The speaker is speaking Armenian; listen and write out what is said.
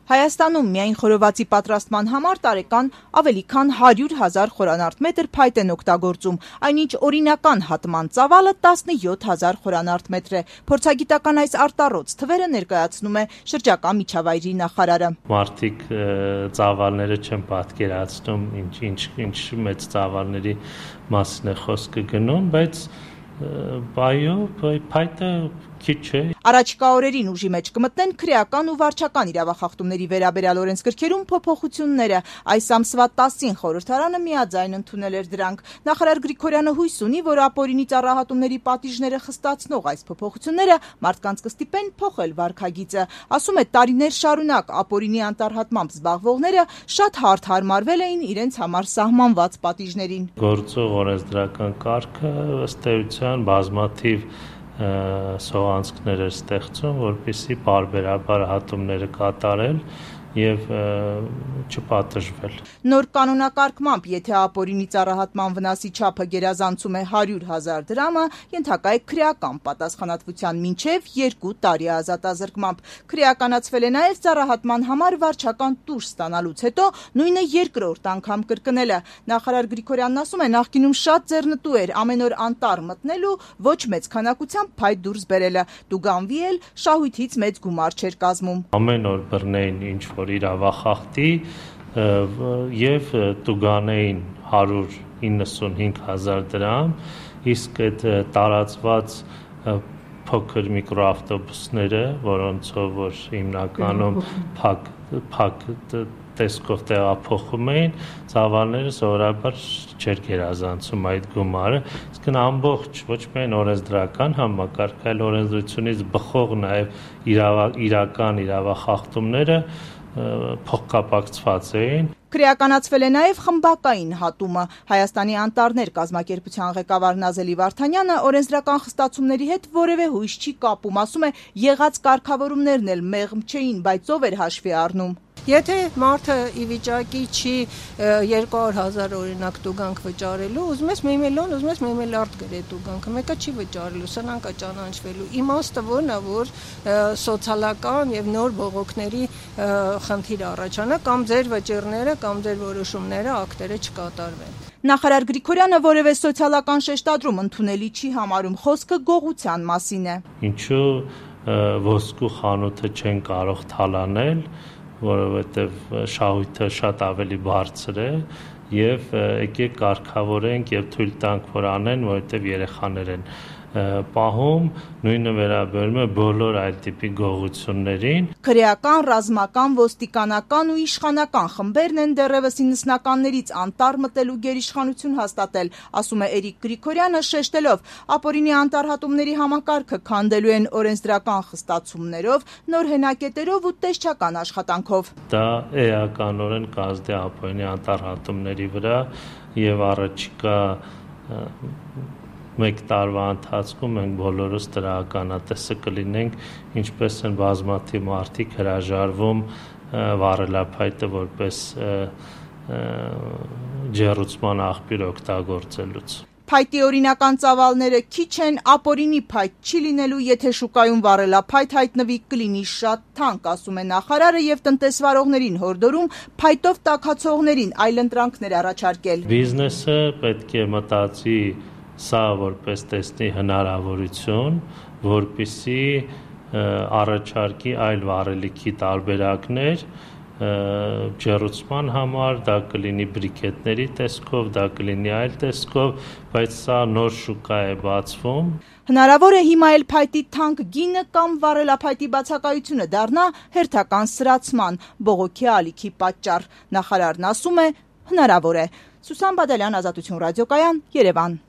Հայաստանում միայն խորովածի պատրաստման համար տարեկան ավելի քան 100,000 խորանարդ մետր փայտ են օգտագործում, այնինչ օրինական հատման ծավալը 17,000 խորանարդ մետր է։ Փորձագիտական այս արտառոց թվերը ներկայացնում է շրջակա միջավայրի նախարարը։ Մարդիկ ծավալները չեն պատկերացնում, ինչ մեծ ծավալների մասին է խոսքը գնում, բայց փայտը քիչ է։ Առաջիկա օրերին ուժի մեջ կմտնեն քրեական ու վարչական իրավախախտումների վերաբերյալ օրենսգրքերում փոփոխությունները։ Այս ամսվա 10-ին խորհրդարանը միաձայն ընդունել էր դրանք։ Նախարար Գրիգորյանը հույս ունի, որ ապօրինի ծառահատումների պատիժները խստացնող այս փոփոխությունները մարդկանց կստիպեն փոխել վարքագիծը։ Ասում է, տարիներ շարունակ ապօրինի անտառհատմամբ զբաղվողները շատ հարթ հարմարվել էին իրենց համար սահմանված պատիժներին։ Գործող օրենսդրական կարգը ըստ էության բազմաթիվ սողանցքներ էր ստեղծում, որպեսզի պարբերաբար հատումները կատարել եւ չպատժվել։ Նոր կանոնակարգմամբ, եթե ապօրինի ծառահատման վնասի չափը գերազանցում է 100,000 դրամը, ենթակա է քրեական պատասխանատվության մինչև 2 տարի ազատազրկմամբ։ Քրեականացվել է նաև ծառահատման համար վարչական տուժ ստանալուց հետո նույնը երկրորդ անգամ կրկնելը։ Նախարար Գրիգորյանն ասում է, նախկինում շատ ձեռնտու էր ամեն օր անտառ մտնելու, ոչ մեծ քանակությամբ փայտ դուրս բերելը։ Տուգանվի էլ շահույթից մեծ գումար չէր կազմում։ Ամեն օր բռնեին ինչ-որ իրավախախտի եւ տուգանեին 195,000 դրամ, իսկ այդ տարածված փոքր միկրոավտոբուսները, որոնցով որ հիմնականում փակ տեսքով տեղափոխում էին, ծավալները սովորաբար չէր գերազանցում այդ գումարը, իսկ ամբողջ ոչ միայն օրենսդրական համակարգ, այլ օրենսդրությունից բխող նաև իրական իրավախախտումները փոխկապակցված էին։ Քրեականացվել է նաև խմբակային հատումը։ Հայաստանի անտառներ կազմակերպության ղեկավար Նազելի Վարդանյանը օրենսդրական խստացումների հետ որևէ հույս չի կապում, ասում է, եղած կարգավորումներն էլ մեղմ չէին, բայց ով էր հաշվի առնում։ Եթե մարդը ի վիճակի չի 200,000 օրինակ տուգանք վճարելու, ուզում ես 1 միլիոն, ուզում ես 1 միլիարդ գրե տուգանքը, մեկը չի վճարելու, սրանք կա ճանաչվելու։ Իմաստը որն է, որ սոցիալական եւ նոր բողոքների խնդիր առաջանա, կամ ձեր վճիռները, կամ ձեր որոշումները, ակտերը չկատարվեն։ Նախարար Գրիգորյանը որևէ սոցիալական շեշտադրում ընդունելի չի համարում, խոսքը գողության մասին է։ Ինչու ոսկու խանութը չեն կարող թալանել, որովհետև շահույթը շատ ավելի բարձր է եւ եկեք կարգավորենք եւ թույլ տանք որ անեն, որովհետև երեխաներ են պահում, նույնը վերաբերում է բոլոր այլ տիպի գողություններին։ Քրեական, ռազմական, ոստիկանական ու իշխանական խմբերն են դեռևս 90-ականներից անտառ մտելու գերիշխանություն հաստատել, ասում է Էրիկ Գրիգորյանը, շեշտելով, ապօրինի անտառհատումների համակարգը քանդելու են օրենսդրական խստացումներով, նոր հենակետերով ու տեսչական աշխատանքով։ Դա էականորեն կազդի ապօրինի անտառհատումների վրա եւ առաջիկա 1 տարվա ընթացքում մենք բոլորս դրականատեսը կլինենք, ինչպես են բազմաթիվ մարդիկ հրաժարվում վառելափայտը որպես ջեռուցման աղբյուր օգտագործելուց։ Փայտի օրինական ծավալները քիչ են, ապօրինի փայտ չի լինելու, եթե շուկայում վառելափայտ հայտնվի, կլինի շատ թանկ, ասում է նախարարը եւ տնտեսվարողներին հորդորում փայտով տաքացողներին այլընտրանքներ առաջարկել։ Բիզնեսը պետք է մտածի սա որպես տեսնի հնարավորություն, որպեսզի առաջարկի այլ վառելիքի տարբերակներ ջեռուցման համար, դա կլինի բրիկետների տեսքով, դա կլինի այլ տեսքով, բայց սա նոր շուկա է բացվում։ Հնարավոր է հիմա էլ փայտի թանկ գինը կամ վառելափայտի բացակայությունը դառնա հերթական սրացման, բողոքի ալիքի պատճառ։ Նախարարն ասում է, հնարավոր է։ Սուսան Բադալյան, Ազատություն ռադիոկայան, Երևան։